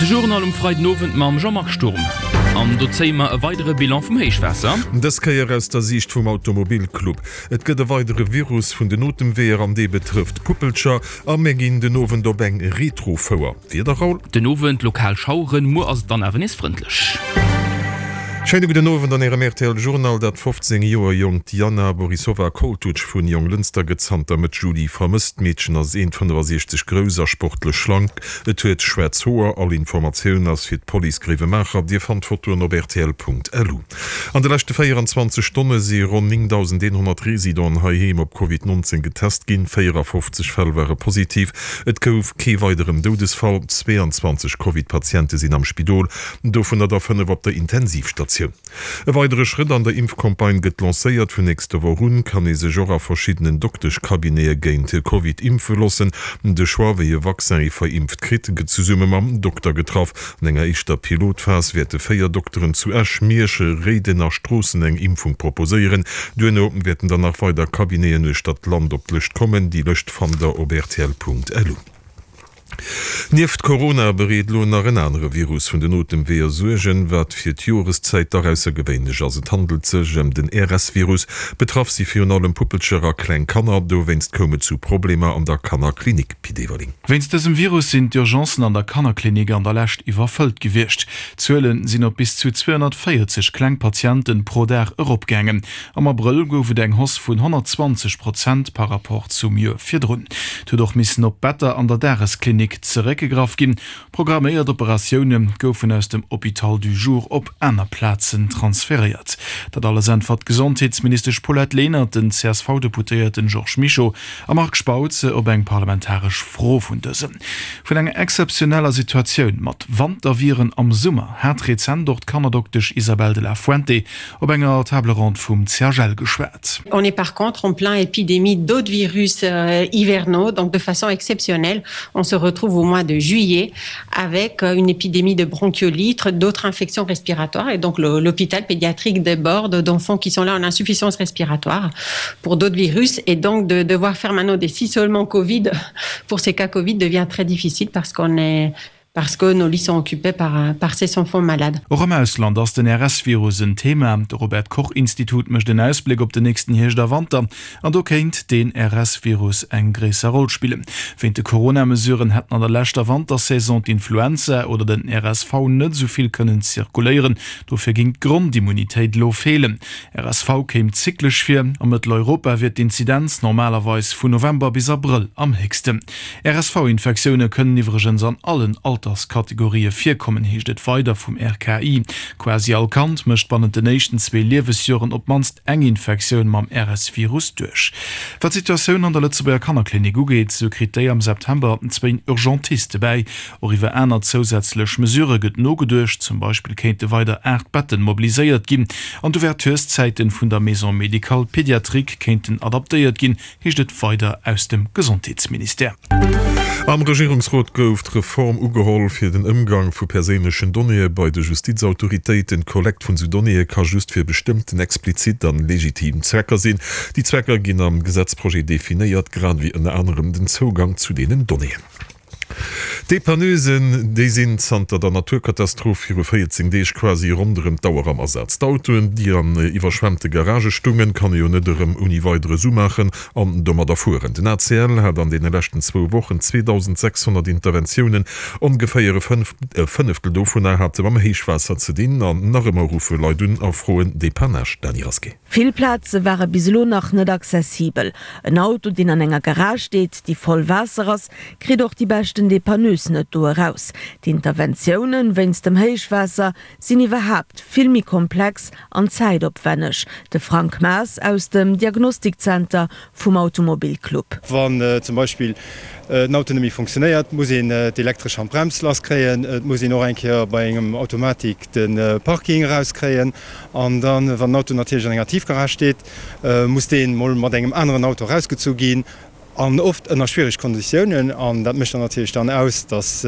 De Journal um Freidenowend mam Jean-Marc Sturm. An do zéie mer e weidere Bilan vum Héichwaasser. Dës Kéier aus der Siicht vum Automobilclub. Et gëtt e weidere Virus vun den Otemweeër an dee betrëfft Puppelcher. A mir ginn den Owend op eng Retro-Fouer. Wieder, Raoul? Den Owend lokal Schaueren, muer ass et dann awer nees frëndlech. Schéine gudden Owend an Ärem rtl Journal. Dat 15 Joer jonkt Jana Borisova Koltuc vun Jonglënster gëtt zanter Mëtt Juli vermësst. D'Meedchen ass 1,65 grouss a sportlech schlank. Et huet schwaarz Hoer. All Informatioun ass fir d'Police Gréiwemaacher. Dir fannt d'Fotoen op rtl.lu. An de leschte 24 Stonne si ronn 9.100 Residenten heiheem op Covid 19 getest ginn. 54 Fäll ware positiv. Et gouf kee weideren Doudesfall. 22 Covid-Patiente sinn am Spidol, dovunner der 5 op der Intensivstatioun. E weidere Schrëtt an der Impfcampagne gëtt lancéiert. Vun nächster Woch un kann ee sech och a verschiddenen Dokteschcabinete géint Covid impfe loossen. De Choix, wéi e Vaccin ee verimpft kritt, gëtt zesumme mam Dokter getraff. An enger éischter Pilotphas wäerte 4 Dokteren zu Esch, Miersch, Réiden a Stroossen eng Impfung proposéieren. Duerno wäerten dann nach weider Cabineten uechter d'Land op d'Lëscht kommen. Déi Lëscht fannt der op rtl.lu. Nieft Corona bereet elo nach en anere Virus vun den Otemweeër Suergen, wat fir d'Joreszäit dach aussergewéinlech ass. Et handelt sech ëm den RS-Virus. Betraff si virun allem Puppelcher a kleng Kanner. Dowéinst koum et zu Problemer an der Kannerklinik. Pit Everling. Wéinst dësem Virus sinn d'Urgencen an der Kannerklinik an der Lescht iwwerfëllt gewiescht. D'Zuele sinn op bis zu 240 kleng Patienten pro Dag eropgaangen. Am Abrëll gouf et eng Hausse vun 120 Prozent par Rapport zum Joer virdrun. Et huet och missen op Better an der Dagesklinik zeréckgegraff ginn. Programméiert Operatioune goufen aus dem Hôpital du Jour op aner Plazen transferéiert. Dat alles äntwert d'Gesondheetsministesch Paulette Lenert den CSV-Deputéierten Georges Mischo a Marc Spautz op eng parlamentaresch Fro vun dësem. Vun enger exzeptioneller Situatioun mat Wanterviren am Summer hat rezent och d'Kannerdoktesch Isabel de la Fuente op enger Table ronde vum CHL geschwat. On est par contre en plein épidémie d'autres virus hivernaux, donc de façon exceptionnelle, on se retrouve au mois de juillet avec une épidémie de bronchiolitre, d'autres infections respiratoires et donc l'hôpital pédiatrique déborde d'enfants qui sont là en insuffisance respiratoire pour d'autres virus et donc de devoir faire maintenant des isolements Covid pour ces cas Covid devient très difficile parce qu'on est parce que nos lits sont occupés par, par ces enfants malades. Och am Ausland ass den RS-Virus en Thema. De Robert Koch Institut mécht en Ausbléck op den nächsten Hierscht a Wanter an do kéint deen RS-Virus eng gréisser Roll spillen. Wéint de Corona-Mesuren hätten an der leschter Wantersaison d'Influenza oder den RSV net esou vill kënnen zirkuléieren. Dofir géing d'Grondimmunitéit elo feelen. RSV kéim zyklesch vir. A Mëtteleuropa wier d'Inzidenz normalerweis vun November bis Abrëll am héchsten. RSV-Infektioune kënnen iwwregens an allen Alterskategorië virkommen, heescht et weider vum RKI. Quasi all Kand mécht bannent den éischten zwee Liewesjoren op d'mannst eng Infektioun mam RS-Virus duerch. Wat d'Situatioun an der Lëtzebuerger Kannerklinik ugeet, sou kritt déi am September zwéin Urgentiste bäi. Och iwwer aner zousätzlech Mesurë gëtt nogeduecht, zum Beispill kéinte weider 8 Betten mobiliséiert ginn an d'Ouvertureszäiten vun der Maison médicale pédiatrique kéinten adaptéiert ginn, heescht et weider aus dem Gesondheetsministère. Am Regierungsrot gouf d'Reform ugeholl fir den Ëmgang vu perséinlechen Donnéeë bei de Justizautoritéiten. D'Kollekt vun esou Donnéeë ka just fir bestëmmten explizit an legitim Zwecker sinn. Déi Zwecker ginn am Gesetzprojet definéiert, grad ewéi ënner anerem den Zougang zu deenen Donnéeën. D'Depanneusen, déi sinn zanter der Naturkatastroph viru 14 Deeg quasi ronderëm d'Auer am Asaz. D'Autoen, déi an iwwerschwemmte Garagë stungen, kann ee jo net erëm ouni Weideres umaachen an domadder fueren. Den ACL hat an deene leschten zwou Wochen 2.600 Interventiounen, ongeféier e Fënneftel dovunner hate mam Héichwaasser ze dinn. An nach ëmmer ruffe Leit un a froen Depannage. Dany Rasqué. Vill Plaze ware bis elo nach net accessibel. En Auto, deen an enger Garage steet, déi voll Waasser ass, kritt och déi beschten Depanneuse net do eraus. D'Interventiounen wéinst dem Héichwaasser sinn iwwerhaapt vill méi komplex an zäitopwänneg. De Frank Maas aus dem Diagnostikzenter vum Automobilclub. Wann zum Beispill den Auto net méi funktionéiert, muss een d'elektresch Handbrems lasskréien, et muss een och eng Kéier bei engem Automatik de Parking erauskréien an dann, wann den Auto natierlech an enger Tiefgarage steet, muss dee mol mat engem aneren Auto erausgezu ginn an oft ënner schwiereg Konditiounen an dat mécht dann natierlech dann aus, dass.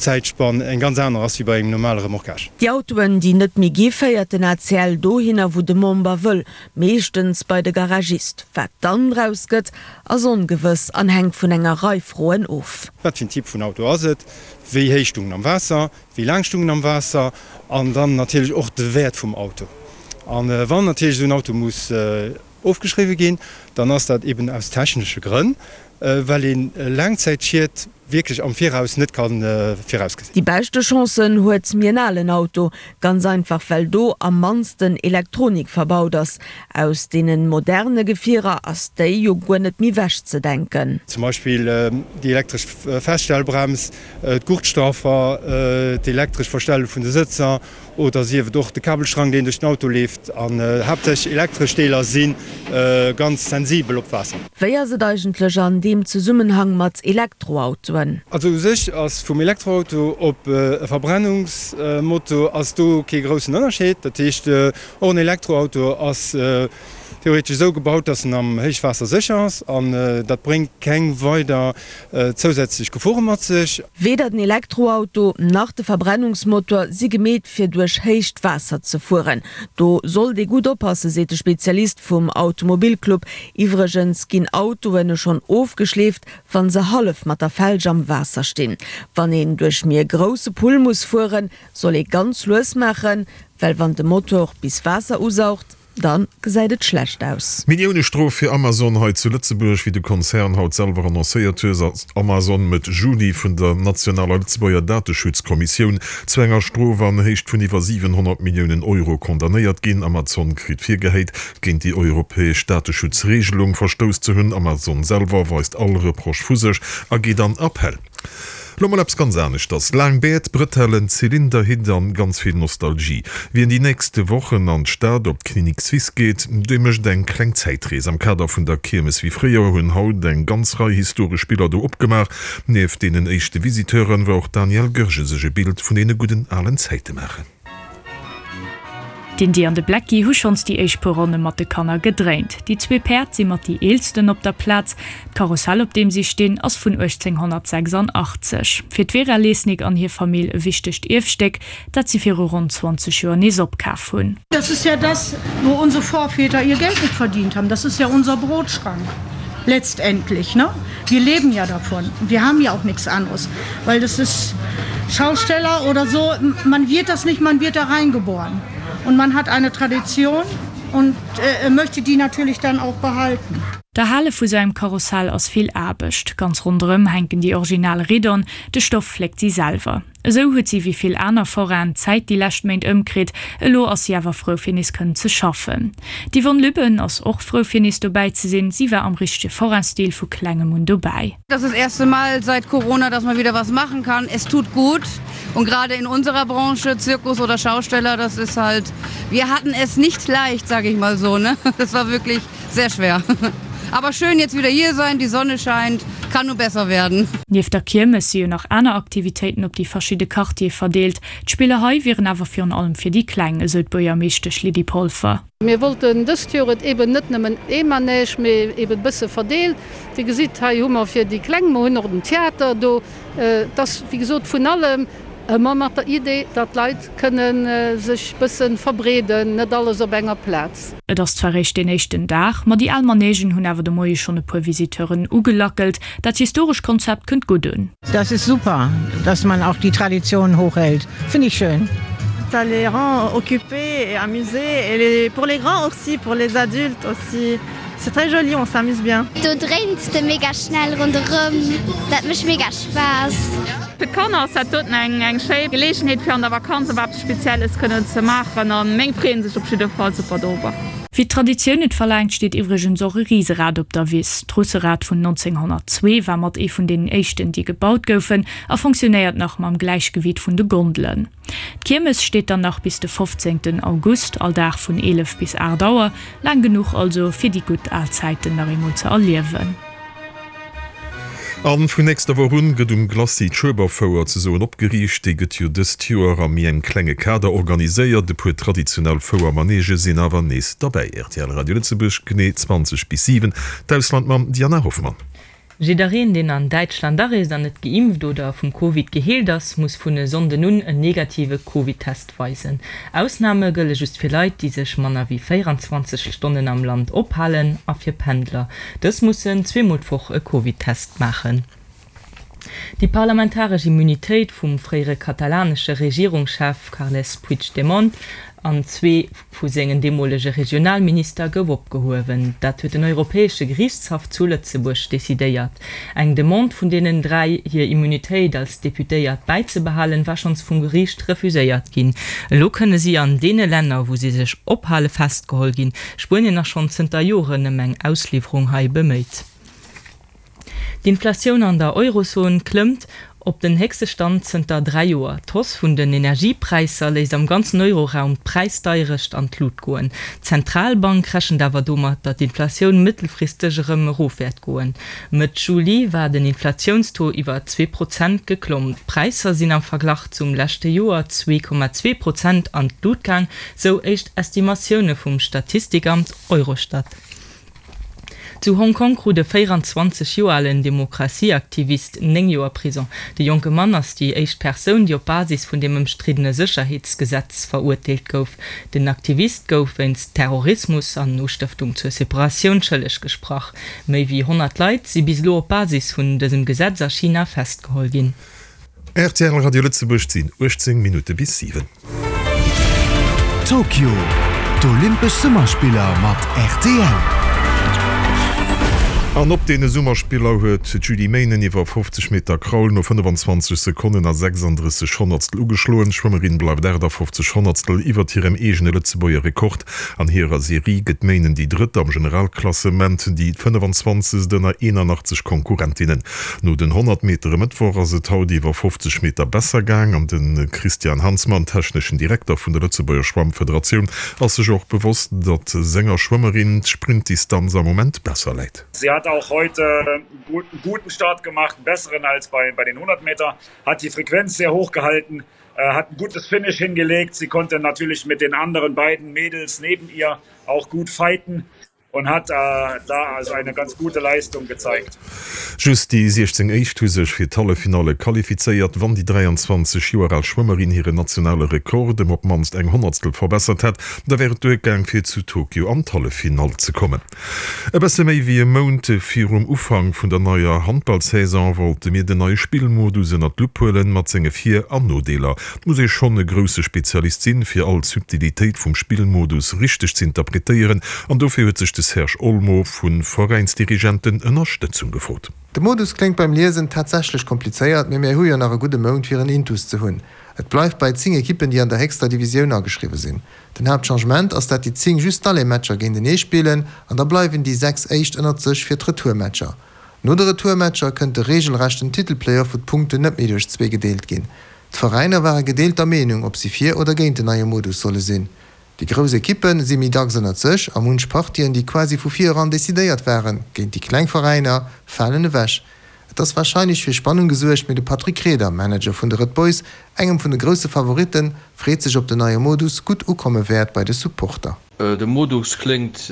Zäitspann eng ganz aner ass wéi bei engem normale Remorquage. Déi Autoen, déi net méi gi féiert den ACL dohinner, wou de Member wëll, meeschtens bei de Garagist. Wat dann draus gëtt, ass ongewëss an hänkt vun enger Rei Froen of. Wat fir en Typ vun Auto ass et? Wéi héich stung en am Waasser? Wéi laang stung en am Waasser? An dann natierlech och de Wäert vum Auto. A wann natierlech esou en Auto muss ofgeschriwwe ginn, dann ass dat eben aus technesche Grënn, well ee Laangzäitschied wierklech am Viraus net ka virausgesinn. Déi beschte Chancen huet mir en alen Auto, ganz einfach well do am mannsten Elektronik verbaut ass. Aus deenen moderne Gefierer ass déi jo guer net méi wech ze denken. Zum Beispill déi elektresch Feststellbrems, d'Gurtstraffer, d'elektresch Verstelle vun de Sëtzer Oder sief et och de Kabelstrang, deen duerch den Auto leeft. An haaptsächlech elektresch Deeler si ganz sensibel op Waasser. Wéi ass et eigentlech an deem Zesummenhang mat Elektroautoen? Also u sech ass vum Elektroauto op e Verbrennungsmotor ass do kee groussen Ënnerscheed. Dat heescht, och en Elektroauto ass theoretesch esou gebaut, dass en am Héichwaasser sécher ass an dat bréngt keng weider zousätzlech Gefore mat sech. Weder den Elektroauto nach de Verbrennungsmotor si gemeet fir duerch héicht Waasser ze fueren. Do sollt ee gutt oppassen, seet de Spezialist vum Automobilclub. Iwwregens ginn Autoen schonn ofgeschleeft, wa se hallef mat der Felg am Waasser stinn. Wann een duerch méi e grousse Pull muss fueren, soll ee ganz lues maachen, well wann de Motor bis Waasser usaugt, Dann gesäit et schlecht aus. Millioune-Strof fir Amazon hei zu Lëtzebuerg. Wéi de Konzern haut selwer annoncéiert hues, ass Amazon Mëtt Juli vun der nationaler Lëtzebuerger Dateschutzkommissioun zu enger Strof an Héicht vun iwwer 700 Milliounen Euro condamnéiert ginn. Amazon kritt virgehéit, géint déi europäesch Dateschutzregelung verstouss ze hunn. Amazon selwer weist all Reproche vu sech a geet an Appell. Lo mol eppes ganz aneschters, laang Bäert, Brëtellen, Zylinder, Hitt an ganz vill Nostalgie. Wien déi nächste Wochen an d'Stad op d'Clinique Suisse geet, dee mécht eng kleng Zäitrees. Am Kader vun der Kiermes wéi fréier hunn haut eng ganz Rei historesch Biller do opgemaach. Nieft deenen éischte Visiteuren war och d'Danièle Goergen sech e Bild vun deene gudden alen Zäite maachen. D'Indy an de Blacky hu schonns déi éischt puer Ronne mat de Kanner gedréint. Déi zwee Päerd si mat déi eelsten op der Plaz. D'Karussell, op deem si stinn, ass vun 1886. Fir d'Vera Lesnik an hir Famill e wichtegt Ierfstéck, dat si viru ronn 20 Joer nees opkaf hunn. Das ist ja das, wo unsere Vorväter ihr Geld mit verdient haben. Das ist ja unser Brotschrank letztendlich, ne? Wir leben ja davon. Wir haben ja auch nichts anderes, weil das ist Schausteller oder so, man wird das nicht, man wird da reingeboren. Und man hat eine Tradition und möchte die natürlich dann auch behalten. D'Erhale vu sou engem Karussell ass vill Aarbecht. Ganz ronderëm hänken déi original Riddon, de Stoff fléckt si selwer. Esou huet si wéi vill aner Forainen d'Zäit déi lescht Méint ëmkritt. Elo ass si awer frou fir nees kënnen ze schaffen. D'Yvonne Lübben ass och frou fir nees dobäi ze sinn. Si war am richtege Forain-Stil vu klengem un dobäi. Das ist das erste Mal seit Corona, dass man wieder was machen kann. Es tut gut und gerade in unserer Branche, Zirkus oder Schausteller, das ist halt, wir hatten es nicht leicht, sage ich mal so, ne? Das war wirklich sehr schwer. Aber schön jetzt wieder hier sein, die Sonne scheint, kann nur besser werden. Nieft der Kiermes si jo nach aner Aktivitéiten op déi verschidde Quartiere verdeelt. D'Spiller hei wieren awer virun allem fir déi Kleng, esou d'Buergermeeschtesch Lydie Polfer. Mir wollten dëst Joer et eben net nëmmen ee Manège, mee eben e bësse verdeelt. Dir gesitt, hei hu mer fir déi Kleng, mer hunn och den Theater do. Et ass wéi gesot vun allem, ëmmer mat der Idee, datt d'Leit kënne sech bësse verbreeden, net alles op enger Plaz. Et ass zwar réischt deen éischten Dag, ma déi al Manègen hunn awer de Moie schonn e puer Visiteuren ugelackelt. Dat historescht Konzept kënnt gutt un. Das ist super, dass man auch die Tradition hochhält, finde ich schön. Ça les rend occupés et amusés et les pour les grands aussi, pour les adultes aussi. C'est très joli, on s'amuse bien. Do dréins de mega schnell ronderëm, dat mécht mega Spaass. Fir d'Kanner ass dat doten eng eng schéi Geleegenheet fir an der Vakanz op eppes Spezielles kënnen ze maachen an meng freeën sech op jidde Fall super dorobber. Wéi d'Traditioun et verlaangt, steet iwwregens och e Riserad op der Wiss. D'Russerad vun 1902 war mat ee vun deenen éischten, déi gebaut goufen a fonctionnéiert nach mam Gläichgewiit vun de Gondelen. D'Kiermes steet dann nach bis de 15 August, all Dag vun 11 bis 8 Auer. Laang genuch also, fir déi gutt al Zäiten nach eemol ze erliewen. A vun nächster Woch un gëtt um Glacis d'Schueberfouer ze soen opgeriicht. Déi gëtt jo dëst Joer a méi engem klenge Kader organiséiert. E puer traditionell Fouermanege sinn awer nees derbäi. Rtl Radio Lëtzebuerg, genee 20 bis 7, d'Ausland mam Diana Hoffmann. Jiddereen, deen an Däitschland areest an net geimpft oder vum Covid geheelt ass, muss vun e Sonnden un en negative Covid-Test weisen. Ausname gëlle just fir Leit, déi sech manner wéi 24 Stonnen am Land ophalen a fir Pendler. Dës mussen zweemol d'Woch e Covid-Test maachen. Déi parlamentaresch Immunitéit vum fréiere katalanesche Regierungschef Carles Puigdemont an zwee vu sengen deemolege Regionalminister gouf opgehuewen. Dat huet den Europäesche Geriichtshaff zu Lëtzebuerg decidéiert. Eng Demande vun deenen 3, hir Immunitéit als Deputéiert bäizebehalen, war schonns vum Geriicht refuséiert ginn. Elo kënne si an deene Länner, wou si sech ophale, festgeholl ginn. Spuenien ass schonn zënter Joren ëm eng Ausliwwerung hei beméit. D'Inflatioun an der Eurozon klëmmt op den héchste Stand zënter 3 Joer. D'Hausse vun den Energiepräisser léisst am ganzen Euroraum d'Präisdeierecht an d'Lut goen. D'Zentralbank rechent awer domat, datt d'Inflatioun mëttelfristeg erëm erof wäert goen. Mëtt Juli war den Inflatiounstaux iwwer 2 Prozent geklomm. D'Präisser sinn am Verglach zum leschte Joer 2,2 Prozent an d'Lut gaang, sou éischt Estimatioune vum Statistikamt Eurostat. Zu Hong Kong krut e 24 Joer alen Demokratieaktivist 9 Joer Prison. De jonke Mann ass déi éischt Persoun, déi op Basis vun dem ëmstriddene Sécherheetsgesetz verurteelt gouf. Den Aktivist gouf wéinst Terrorismus an Ustëftung zur Separatioun schëlleg gesprach. Méi wéi 100 Leit si bis elo op Basis vun dësem Gesetz a China festgeholl ginn. Rtl Radio Lëtzebuerg, 't sinn 18 Minutte bis 7. Tokio, D'Olympesch Summerspiller mat rtl. An op deene Summerspiller huet d'Julie Meynen iwwer 50 Meter Kraul no 25 Sekonnen a 36 Honnertstel ugeschloen. D'Schwëmmerin bleift 58 Honnertstel iwwert hirem eegene Lëtzebuerger Rekord. An hirer Serie gëtt d'Meynen déi Drëtt am Generalklassement, déi 25. ënner 81 Konkurrentinnen. No den 100 Meter e Mëttwoch ass et haut iwwer 50 Meter besser gaang an de Christian Hansmann, techneschen Direkter vun der Lëtzebuerger Schwammfederatioun, ass sech och bewosst, datt senger Schwëmmerin d'Sprintdistanz am Moment besser läit. Sie hat auch heute einen guten Start gemacht, einen besseren als bei bei den 100 Meter, hat die Frequenz sehr hoch gehalten, hat ein gutes Finish hingelegt. Sie konnte natürlich mit den anderen beiden Mädels neben ihr auch gut fighten. Und hat da also eine ganz gute Leistung gezeigt. Just déi 16 éischt hu sech fir d'Halleffinalle qualifizéiert. Wann déi 23 Joer al Schwëmmerin hiren nationale Rekord ëm op d'mannst eng Honnertstel verbessert hätt, da wär et duergaang fir zu Tokio an d'Halleffinall ze kommen. E bësse méi wéi e Mount virum Ufank vun der neier Handballsaison wollte mir den neie Spillmodus ënnert d'Lupp huelen, mat senge Vir an Nodeeler. Et muss ee schonn e grousse Spezialist sinn, fir all Subtilitéit vum Spillmodus richteg ze interpretéieren, an dofir huet sech de Serge Olmo vu Veräinsdirigenten Ënnerstëtzung gefrot. De Modus kléngt beim Liesen tatsächlech komplizéiert, mee mär hu jo nach e gudde Mount fir en Intus ze hunn. Et bleift bei 10 Ekippen déi an der héchster Divisioun ageschriwwe sinn. Den Haaptchangement ass dat déi 10 just d'Aller-Matcher géintenee spillen an da bleiwen déi 6 éischt ënnert sech fir d'Retourmatcher. No de Retourmatcher kënnt de regelrechten Titelplayoff wou d'Punkten net méi duerch zwee gedeelt ginn. D'Veräiner ware gedeelter Meenung ob si fir oder géint den neie Modus solle sinn. Déi grouss Ekippe si méi dacks ënnert sech a munch Partien déi quasi vu vir eran decidéiert waren géint déi kleng Veräiner falen ewech. Et ass warscheinlech fir Spannung gesuergt, mee de Patrick Reder, Manager vun de Red Boys, engem vun de grousse Favoritten, freet sech ob den neie Modus gutt ukomme wäert bei de Supporter. De Modus kléngt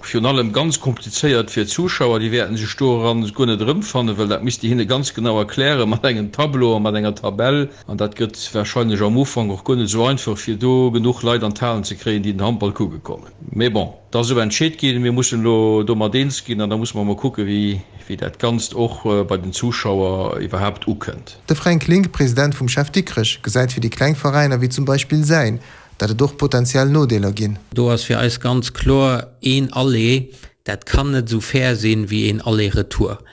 virun allem ganz komplizéiert fir d'Zuschauer. Déi wäerten sech doran guer net erëmfannen, well dat misst Dir hinne ganz genau erklären, mat engem Tableau a mat enger Tabell. An dat gëtt warscheinlech am Ufank och guer net esou einfach, fir do genuch Leit an d'Halen ze kréien, déi den Handball kucke kommen. Mee bon, et ass esou entscheet ginn, mir mussen elo domat eens ginn an da musse mer mol kucken, wéi dat Ganzt och bei den Zuschauer iwwerhaapt ukënnt. De Fränk Link, President vum Chef Dikrech, gesäit fir déi kleng Veräiner wéi zum Beispill säin, dat et och potentiell Nodeeler ginn. Do ass fir eis ganz kloer, een Aller, dat kann net esou fair sinn wéi een Aller-Retour.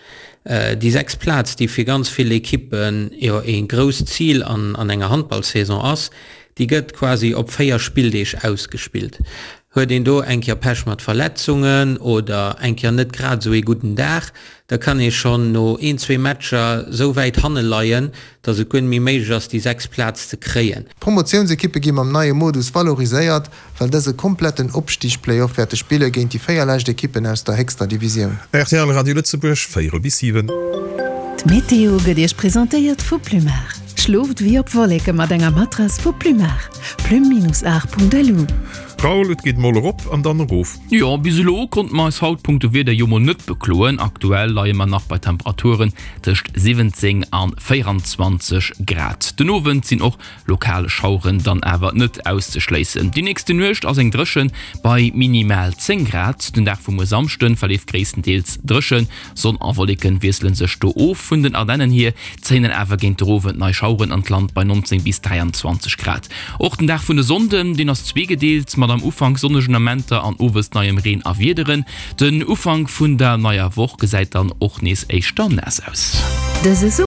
Déi sechst Plaz, déi fir ganz vill Ekippen jo ee grousst Zil an an enger Handballsaison ass, déi gëtt quasi op 4 Spilldeeg ausgespillt. Huet een do eng Kéier Pech mat Verletzungen oder eng Kéier net grad esou ee gudden Dag, da kann ee schonn no een, zwee Matcher esou wäit hanne leien, datt et guer net méi méiglech ass, déi sechst Plaz ze kréien. D'Promotiounsekippe gi mam neie Modus valoriséiert, well dës e kompletten Opstig-Playoff wäerte spille géint déi 4 lescht Ekippen aus der héchster Divisioun. Rtl Radio Lëtzebuerg, véierel bis 7. D'Meteo gëtt Iech presentéiert vu Plumar. Schlooft wéi op Wolleke mat enger Matrass vu Plumar. Plume-art.lu. Raoul, et geet mol erop an dann erof. Jo, bis elo konnte mer eis haut punkto Wieder jo mol net bekloen. Aktuell leie mer nach bei Temperaturen tëscht 17 an 24 Grad. Den Owend sinn och lokal Schaueren dann awer net auszeschléissen. Déi nächste Nuecht ass eng dréchen bei minimal 10 Grad. Den Dag vu muer Samschde verleeft gréisstendeels dréchen, Sonn a Wolleken wiessele sech do of. Vun den Ardennen hier zéien dann awer géint de Owend nei Schaueren an d'Land bei 19 bis 23 Grad. Och den Dag vun e Sonnden, deen ass zweegedeelt, mat am Ufank sonnegen Amenter an owes neiem Reen a Wiederen. Den Ufank vun der neier Woch gesäit dann och nees éischter naass aus. Dëse.